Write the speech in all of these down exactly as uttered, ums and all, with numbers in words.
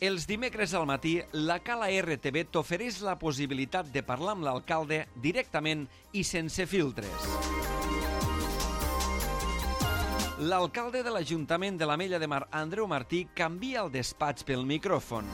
Els dimecres al matí, la Cala R T V t'ofereix la possibilitat de parlar amb l'alcalde directament i sense filtres. L'alcalde de l'Ajuntament de l'Ametlla de Mar, Andreu Martí, canvia el despatx pel micròfon.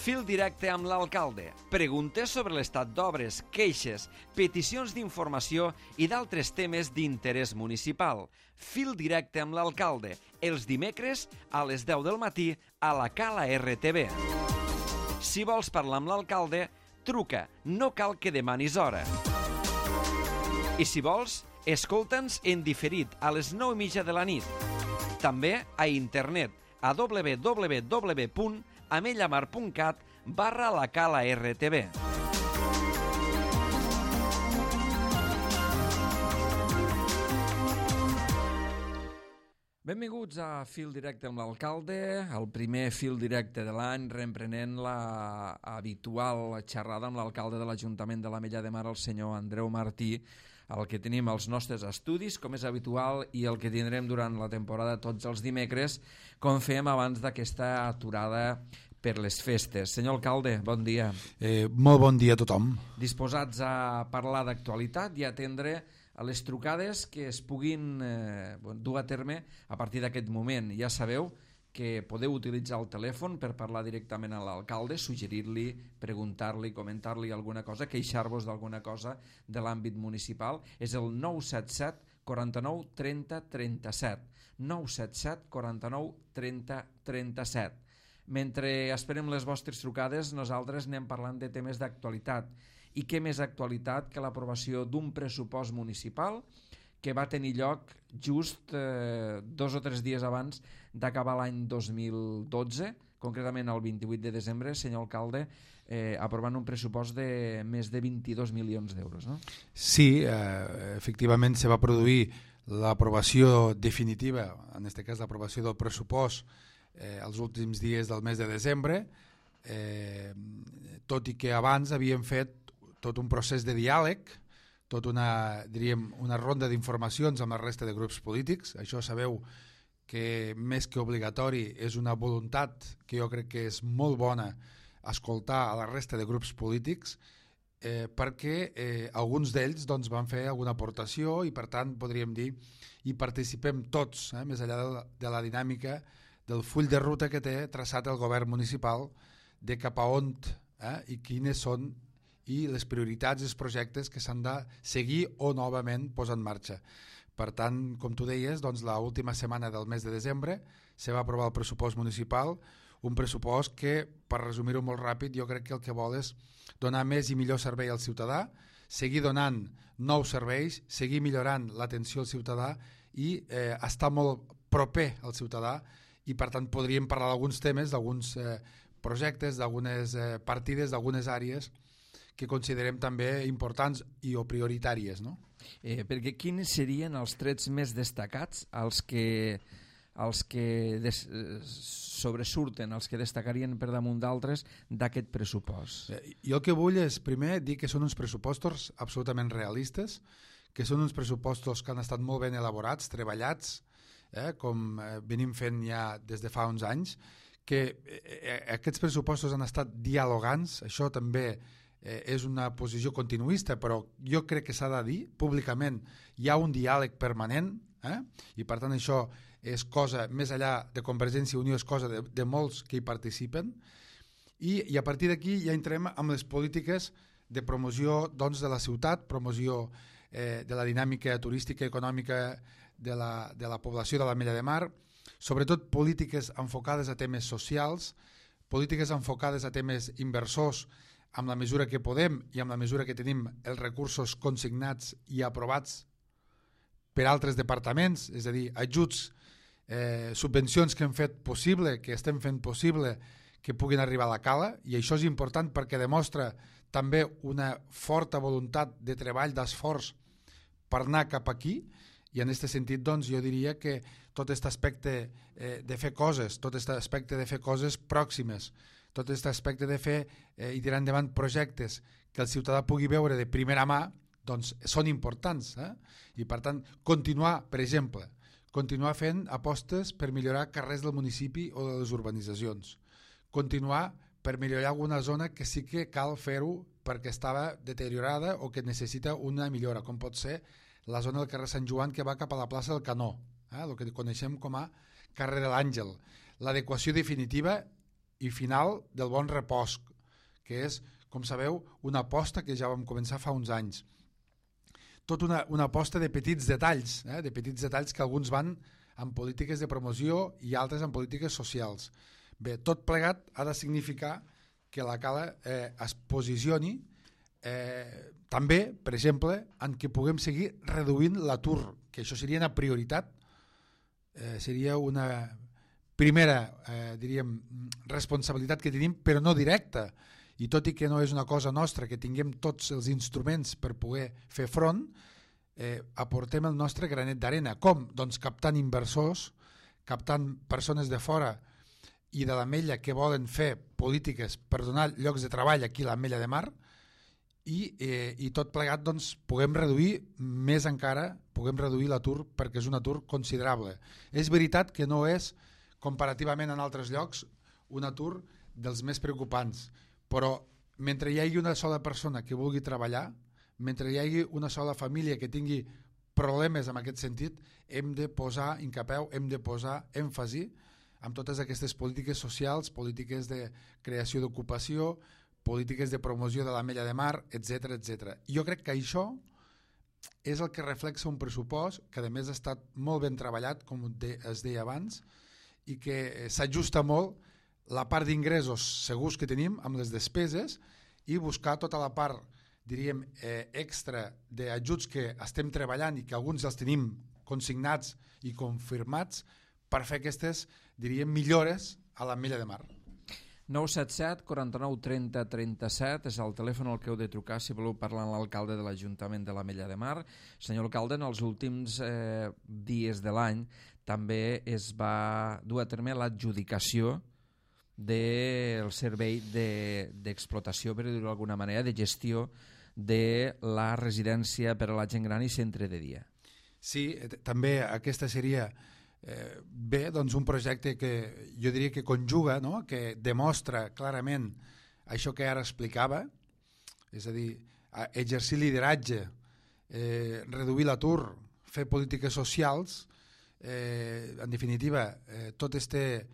Fil directe amb l'alcalde. Preguntes sobre l'estat d'obres, queixes, peticions d'informació i d'altres temes d'interès municipal. Fil directe amb l'alcalde. Els dimecres a les deu del matí a la Cala R T V. Si vols parlar amb l'alcalde, truca. No cal que demanis hora. I si vols, escolta'ns en diferit a les nou i mitja de la nit. També a internet a w w w punt amellamar punt cat barra la Cala R T V. Benvinguts a Fil Directe amb l'alcalde, el primer fil directe de l'any, reemprenent la habitual xerrada amb l'alcalde de l'Ajuntament de l'Ametlla de Mar, el senyor Andreu Martí, el que tenim als nostres estudis, com és habitual, i el que tindrem durant la temporada tots els dimecres, com fèiem abans d'aquesta aturada per les festes. Senyor alcalde, bon dia. Eh, molt bon dia a tothom. Disposats a parlar d'actualitat i a atendre a les trucades que es puguin eh, dur a terme a partir d'aquest moment. Ja sabeu que podeu utilitzar el telèfon per parlar directament a l'alcalde, suggerir-li, preguntar-li, comentar-li alguna cosa, queixar-vos d'alguna cosa de l'àmbit municipal. És el nou set set, quaranta-nou, trenta, trenta-set. nou set set, quaranta-nou, trenta, trenta-set. Mentre esperem les vostres trucades, nosaltres anem parlant de temes d'actualitat. I què més actualitat que l'aprovació d'un pressupost municipal que va tenir lloc just eh, dos o tres dies abans d'acabar l'any dos mil dotze, concretament el vint-i-vuit de desembre, senyor alcalde, eh, aprovant un pressupost de més de vint-i-dos milions d'euros, no? Sí, eh, efectivament se va produir l'aprovació definitiva, en aquest cas l'aprovació del pressupost, eh, els últims dies del mes de desembre, eh, tot i que abans havíem fet tot un procés de diàleg, tot una, diríem, una ronda d'informacions amb la resta de grups polítics. Això sabeu que més que obligatori és una voluntat que jo crec que és molt bona escoltar a la resta de grups polítics, eh, perquè eh, alguns d'ells doncs, van fer alguna aportació i per tant podríem dir hi participem tots, eh, més enllà de la, de la dinàmica del full de ruta que té traçat el govern municipal de cap a on eh, i quines són i les prioritats i els projectes que s'han de seguir o novament posar en marxa. Per tant, com tu deies, doncs, l'última setmana del mes de desembre se va aprovar el pressupost municipal, un pressupost que, per resumir-ho molt ràpid, jo crec que el que vol és donar més i millor servei al ciutadà, seguir donant nous serveis, seguir millorant l'atenció al ciutadà i eh, estar molt proper al ciutadà i, per tant, podríem parlar d'alguns temes, d'alguns eh, projectes, d'algunes eh, partides, d'algunes àrees que considerem també importants i o prioritàries, no? Eh, perquè quins serien els trets més destacats, els que, els que des, eh, sobresurten, els que destacarien per damunt d'altres d'aquest pressupost? Eh, jo el que vull és, primer, dir que són uns pressupostos absolutament realistes, que són uns pressupostos que han estat molt ben elaborats, treballats, eh, com eh, venim fent ja des de fa uns anys, que eh, aquests pressupostos han estat dialogants, això també Eh, és una posició continuista, però jo crec que s'ha de dir públicament, hi ha un diàleg permanent, eh? I per tant això és cosa, més enllà de Convergència i Unió, és cosa de, de molts que hi participen, i, i a partir d'aquí ja entrem amb les polítiques de promoció doncs, de la ciutat, promoció eh, de la dinàmica turística i econòmica de la, de la població de l'Ametlla de Mar, sobretot polítiques enfocades a temes socials, polítiques enfocades a temes inversors, amb la mesura que podem i amb la mesura que tenim els recursos consignats i aprovats per altres departaments, és a dir, ajuts, eh, subvencions que hem fet possible, que estem fent possible que puguin arribar a la Cala, i això és important perquè demostra també una forta voluntat de treball, d'esforç per anar cap aquí, i en aquest sentit doncs, jo diria que tot aquest aspecte eh, de fer coses, tot aquest aspecte de fer coses pròximes, tot aquest aspecte de fer eh, i tirar endavant projectes que el ciutadà pugui veure de primera mà, doncs són importants. Eh? I per tant, continuar, per exemple, continuar fent apostes per millorar carrers del municipi o de les urbanitzacions, continuar per millorar alguna zona que sí que cal fer-ho perquè estava deteriorada o que necessita una millora, com pot ser la zona del carrer Sant Joan que va cap a la plaça del Canó, eh? el que coneixem com a carrer de l'Àngel, l'adequació definitiva i final del Bon Repòs, que és, com sabeu, una aposta que ja vam començar fa uns anys. Tot una, una aposta de petits detalls, eh? de petits detalls que alguns van en polítiques de promoció i altres en polítiques socials. Bé, tot plegat ha de significar que la Cala eh, es posicioni eh, també, per exemple, en què puguem seguir reduint l'atur, que això seria una prioritat, eh, seria una primera, eh, diríem, responsabilitat que tenim, però no directa, i tot i que no és una cosa nostra, que tinguem tots els instruments per poder fer front, eh, aportem el nostre granet d'arena. Com? Doncs captant inversors, captant persones de fora i de l'Ametlla que volen fer polítiques per donar llocs de treball aquí a l'Ametlla de Mar, i, eh, i tot plegat doncs, puguem reduir més encara, puguem reduir l'atur perquè és un atur considerable. És veritat que no és, comparativament en altres llocs, un atur dels més preocupants, però mentre hi hagi una sola persona que vulgui treballar, mentre hi hagi una sola família que tingui problemes en aquest sentit, hem de posar incapeu, hem de posar èmfasi en totes aquestes polítiques socials, polítiques de creació d'ocupació, polítiques de promoció de l'Ametlla de Mar, etcètera, etcètera. Jo crec que això és el que reflexa un pressupost que a més ha estat molt ben treballat, com es deia abans, i que s'ajusta molt la part d'ingressos segurs que tenim amb les despeses i buscar tota la part, diríem, eh, extra d'ajuts que estem treballant i que alguns els tenim consignats i confirmats per fer aquestes, diríem, millores a l'Ametlla de Mar. nou set set, quaranta-nou, trenta, trenta-set és el telèfon al que heu de trucar si voleu parlar amb l'alcalde de l'Ajuntament de l'Ametlla de Mar. Senyor alcalde, en els últims eh, dies de l'any també es va dur a terme l'adjudicació del servei d'explotació, de, per dir-ho d'alguna manera, de gestió de la residència per a la gent gran i centre de dia. Sí, també aquesta seria eh, bé, doncs un projecte que jo diria que conjuga, no? Que demostra clarament això que ara explicava, és a dir, exercir lideratge, eh, reduir l'atur, fer polítiques socials, eh, en definitiva, eh, tot este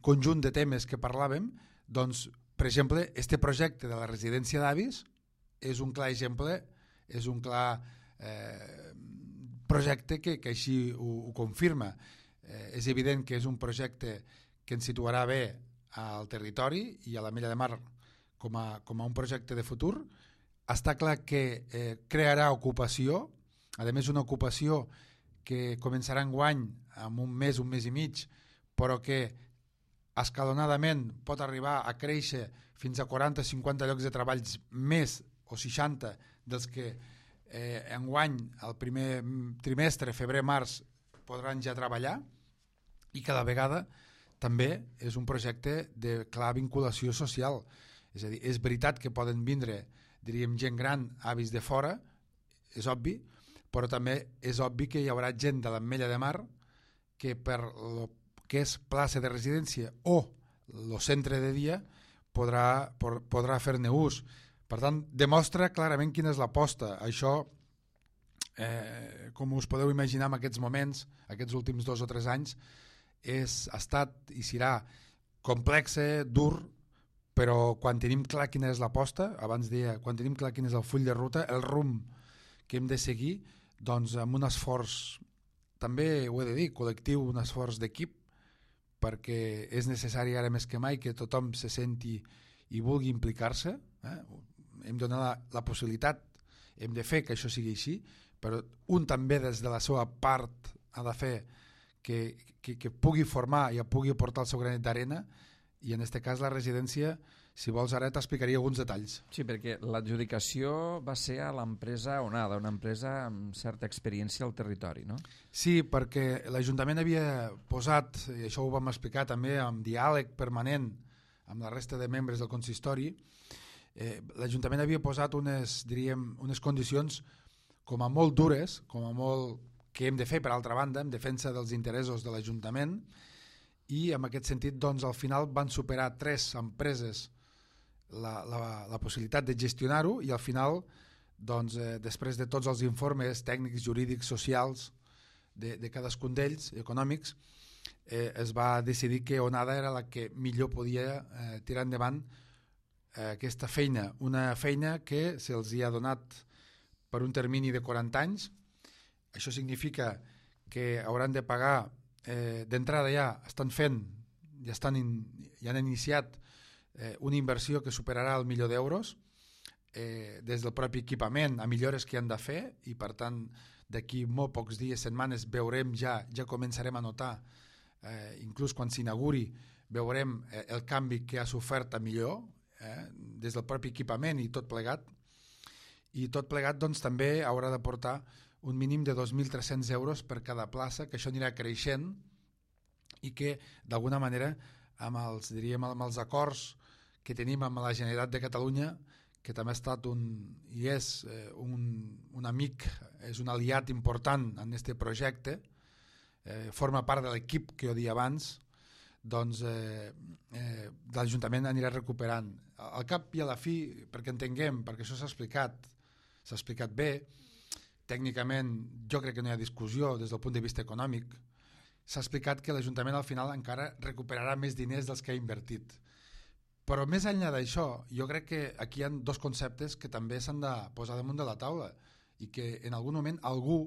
conjunt de temes que parlàvem, doncs, per exemple, este projecte de la residència d'avis és un clar exemple, és un clar eh, projecte que, que així ho, ho confirma. Eh, és evident que és un projecte que ens situarà bé al territori i a l'Ametlla de Mar com a, com a un projecte de futur. Està clar que eh, crearà ocupació, a més una ocupació que començarà enguany amb un mes, un mes i mig, però que escalonadament pot arribar a créixer fins a quaranta cinquanta llocs de treball més o seixanta dels que eh, enguany el primer trimestre, febrer-març, podran ja treballar, i cada vegada també és un projecte de clara vinculació social. És a dir, és veritat que poden vindre, diríem, gent gran, avis de fora, és obvi, però també és obvi que hi haurà gent de l'Ametlla de Mar que per lo que és plaça de residència o el centre de dia podrà, podrà fer-ne ús. Per tant, demostra clarament quina és l'aposta. Això, eh, com us podeu imaginar en aquests moments, aquests últims dos o tres anys, és, ha estat i serà complex, dur, però quan tenim clar quina és l'aposta, abans deia, quan tenim clar quin és el full de ruta, el rumb que hem de seguir, doncs amb un esforç, també ho he de dir, col·lectiu, un esforç d'equip, perquè és necessari ara més que mai que tothom se senti i vulgui implicar-se. Eh? Hem de donar la, la possibilitat, hem de fer que això sigui així, però un també des de la seva part ha de fer que, que, que pugui formar i pugui aportar el seu granet d'arena, i en aquest cas la residència, si vols ara t'explicaria alguns detalls. Sí, perquè l'adjudicació va ser a l'empresa Onada, una empresa amb certa experiència al territori, no? Sí, perquè l'Ajuntament havia posat, i això ho vam explicar també amb diàleg permanent amb la resta de membres del consistori, eh, l'Ajuntament havia posat unes, diríem, unes condicions com a molt dures, com a molt que hem de fer, per altra banda, en defensa dels interessos de l'Ajuntament, i en aquest sentit doncs, al final van superar tres empreses la, la, la possibilitat de gestionar-ho, i al final, doncs, eh, després de tots els informes tècnics, jurídics, socials de, de cadascun d'ells, econòmics, eh, es va decidir que Onada era la que millor podia eh, tirar endavant eh, aquesta feina, una feina que se'ls hi ha donat per un termini de quaranta anys. Això significa que hauran de pagar, eh, d'entrada ja estan fent, ja, estan in, ja han iniciat eh, una inversió que superarà el milió d'euros, eh, des del propi equipament a millores que han de fer, i per tant d'aquí molt pocs dies, setmanes, veurem ja, ja començarem a notar, eh, inclús quan s'inauguri, veurem eh, el canvi que ha sofert a millor, eh, des del propi equipament i tot plegat, i tot plegat doncs, també haurà de portar un mínim de dos mil tres-cents euros per cada plaça, que això anirà creixent, i que d'alguna manera amb els, diríem, amb els acords que tenim amb la Generalitat de Catalunya, que també ha estat un, i és eh, un, un amic, és un aliat important en aquest projecte, eh, forma part de l'equip que jo dia abans, doncs eh, eh, l'Ajuntament anirà recuperant. Al cap i a la fi, perquè entenguem, perquè això s'ha explicat, s'ha explicat bé, tècnicament jo crec que no hi ha discussió des del punt de vista econòmic, s'ha explicat que l'Ajuntament al final encara recuperarà més diners dels que ha invertit. Però més enllà d'això, jo crec que aquí hi ha dos conceptes que també s'han de posar damunt de la taula, i que en algun moment algú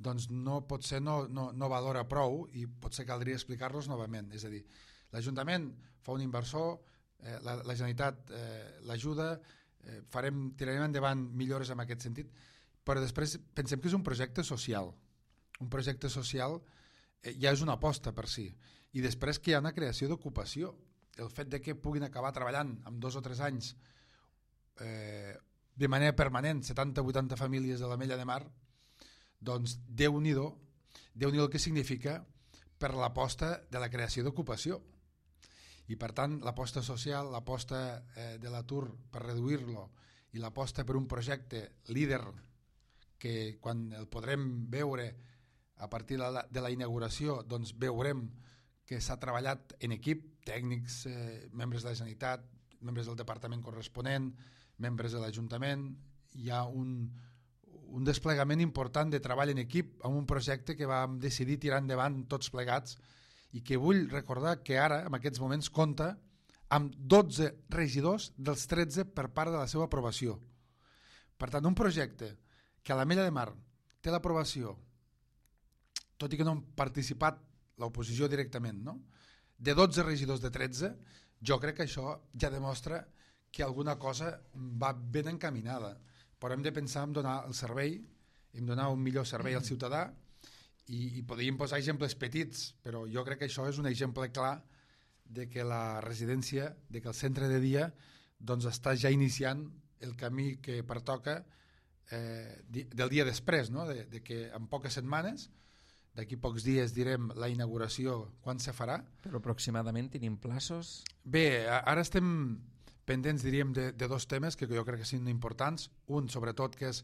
doncs no pot ser no, no, no valora prou, i potser caldria explicar-los novament. És a dir, l'Ajuntament fa un inversor, eh, la, la Generalitat eh, l'ajuda, eh, farem, tirarem endavant millores en aquest sentit, però després pensem que és un projecte social. Un projecte social eh, ja és una aposta per si. I després que hi ha una creació d'ocupació. El fet de que puguin acabar treballant en dos o tres anys eh, de manera permanent setanta o vuitanta famílies de l'Ametlla de Mar, doncs Déu-n'hi-do, Déu-n'hi-do el que significa per l'aposta de la creació d'ocupació. I per tant l'aposta social, l'aposta eh, de l'atur per reduir-lo, i l'aposta per un projecte líder que quan el podrem veure a partir de la, de la inauguració, doncs veurem que s'ha treballat en equip, tècnics, eh, membres de la Generalitat, membres del departament corresponent, membres de l'Ajuntament. Hi ha un, un desplegament important de treball en equip amb un projecte que vam decidir tirar endavant tots plegats, i que vull recordar que ara, en aquests moments, compta amb dotze regidors dels tretze per part de la seva aprovació. Per tant, un projecte que a l'Ametlla de Mar té l'aprovació, tot i que no han participat l'oposició directament, no? De dotze regidors de tretze, jo crec que això ja demostra que alguna cosa va ben encaminada. Però hem de pensar en donar el servei, en donar un millor servei al ciutadà, i, i podríem posar exemples petits, però jo crec que això és un exemple clar de que la residència, de que el centre de dia doncs està ja iniciant el camí que pertoca eh, del dia després, no? de, de que en poques setmanes, d'aquí pocs dies direm la inauguració quan se farà. Però aproximadament tenim plaços? Bé, ara estem pendents, diríem, de, de dos temes que jo crec que són importants. Un, sobretot, que és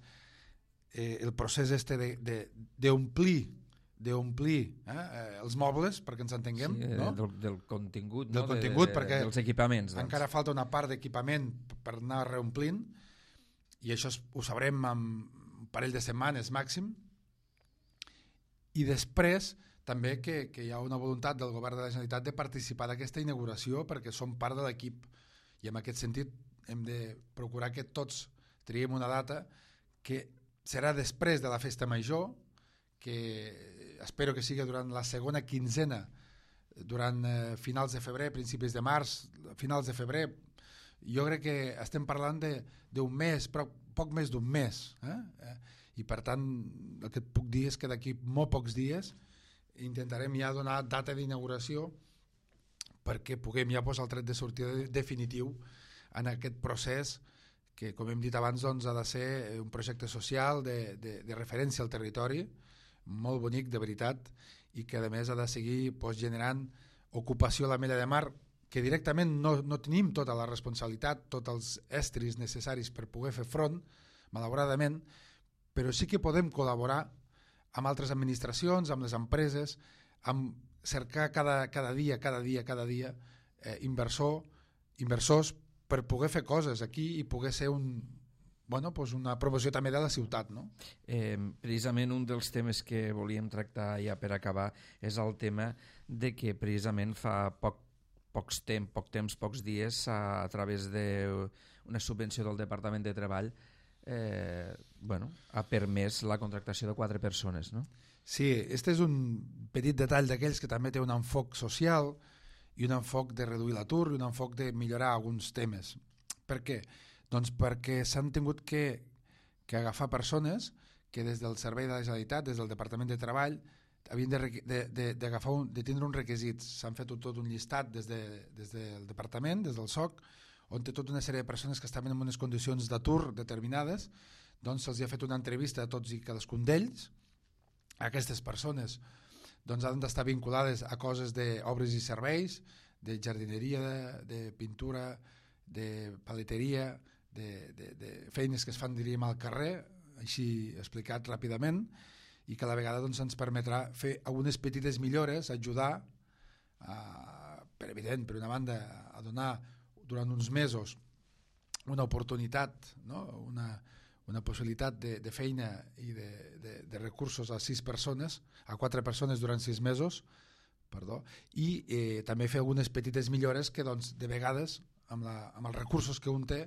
eh, el procés este d'omplir de, d'omplir eh, els mobles, perquè ens entenguem. Sí, no? del, del contingut, del no? contingut, de, de, perquè dels equipaments. Doncs. Encara falta una part d'equipament per anar reomplint, i això ho sabrem en un parell de setmanes màxim. I després també que, que hi ha una voluntat del govern de la Generalitat de participar d'aquesta inauguració, perquè som part de l'equip, i en aquest sentit hem de procurar que tots triem una data que serà després de la festa major, que espero que sigui durant la segona quinzena, durant eh, finals de febrer, principis de març, finals de febrer. Jo crec que estem parlant d'un mes, però poc més d'un mes, eh? I per tant el que et puc dir és que d'aquí molt pocs dies intentarem ja donar data d'inauguració perquè puguem ja posar el tret de sortida definitiu en aquest procés que, com hem dit abans, doncs, ha de ser un projecte social de, de, de referència al territori, molt bonic, de veritat, i que a més ha de seguir doncs, generant ocupació a l'Ametlla de Mar, que directament no, no tenim tota la responsabilitat, tots els estris necessaris per poder fer front, malauradament, però sí que podem col·laborar amb altres administracions, amb les empreses, amb cercar cada, cada dia, cada dia, cada dia eh, inversor, inversors per poder fer coses aquí i poder ser un, bueno, pues una promoció també de la ciutat. No? Eh, precisament un dels temes que volíem tractar ja per acabar és el tema de que precisament fa poc, pocs temps, poc temps, pocs dies, a, a través d'una subvenció del Departament de Treball, eh, bueno, ha permès la contractació de quatre persones, no? Sí, este és un petit detall d'aquells que també té un enfoc social i un enfoc de reduir l'atur i un enfoc de millorar alguns temes. Per què? Doncs perquè s'han tingut que, que agafar persones que des del Servei de la Generalitat, des del Departament de Treball, havien de, de, de, d'agafar un, de tindre uns requisits. S'han fet tot un llistat des, de, des del Departament, des del S O C, on té tota una sèrie de persones que estaven en unes condicions d'atur determinades, doncs se'ls ha fet una entrevista a tots i cadascun d'ells. Aquestes persones doncs, han d'estar vinculades a coses d'obres i serveis, de jardineria, de, de pintura, de paleteria, de, de, de feines que es fan, diríem, al carrer, així explicat ràpidament, i que a la vegada doncs, ens permetrà fer algunes petites millores, ajudar, a, per evident, per una banda, a donar durant uns mesos una oportunitat, no? una una possibilitat de, de feina i de, de, de recursos a sis persones, a quatre persones durant sis mesos, perdó, i eh, també fer algunes petites millores que doncs, de vegades, amb, la, amb els recursos que un té,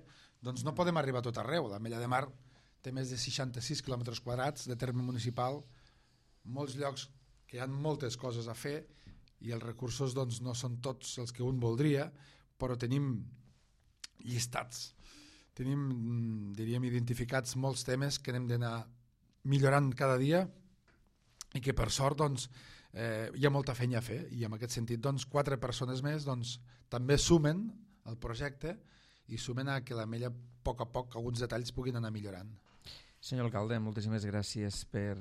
doncs no podem arribar a tot arreu. L'Ametlla de Mar té més de seixanta-sis quilòmetres quadrats de terme municipal, molts llocs que hi ha moltes coses a fer i els recursos doncs, no són tots els que un voldria, però tenim llistats. Tenim, diríem, identificats molts temes que hem d'anar millorant cada dia i que per sort doncs, eh, hi ha molta feina a fer i en aquest sentit doncs, quatre persones més doncs, també sumen al projecte i sumen a que l'Ametlla a poc a poc alguns detalls puguin anar millorant. Senyor alcalde, moltíssimes gràcies per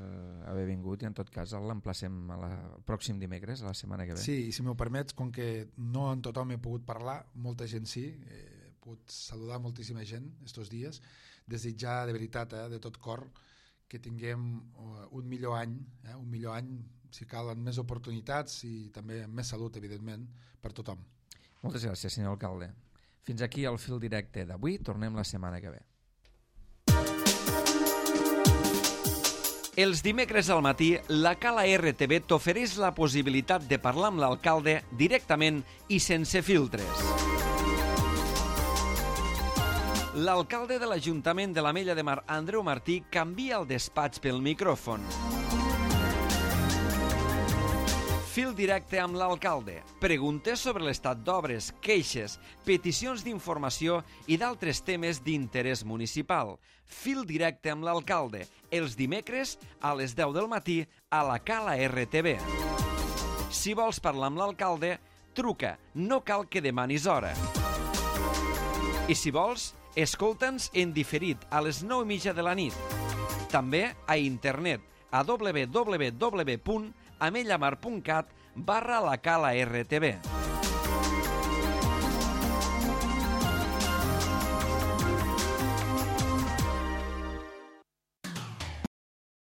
haver vingut i en tot cas l'emplacem el pròxim dimecres, a la setmana que ve. Sí, i si m'ho permets, com que no en tothom he pogut parlar, molta gent sí, eh, pogut saludar moltíssima gent estos dies, desitjar de veritat, eh, de tot cor, que tinguem uh, un millor any, eh, un millor any, si cal, amb més oportunitats i també amb més salut, evidentment, per tothom. Moltes gràcies, senyor alcalde. Fins aquí el fil directe d'avui, tornem la setmana que ve. Els dimecres al matí, la Cala R T V t'ofereix la possibilitat de parlar amb l'alcalde directament i sense filtres. L'alcalde de l'Ajuntament de l'Ametlla de Mar, Andreu Martí, canvia el despatx pel micròfon. Fil directe amb l'alcalde. Preguntes sobre l'estat d'obres, queixes, peticions d'informació i d'altres temes d'interès municipal. Fil directe amb l'alcalde. Els dimecres a les deu del matí a la Cala R T V. Si vols parlar amb l'alcalde, truca. No cal que demanis hora. I si vols, escolta'ns en diferit a les nou i mitja de la nit. També a internet a w w w punt amellamar punt cat barra la Cala R T V.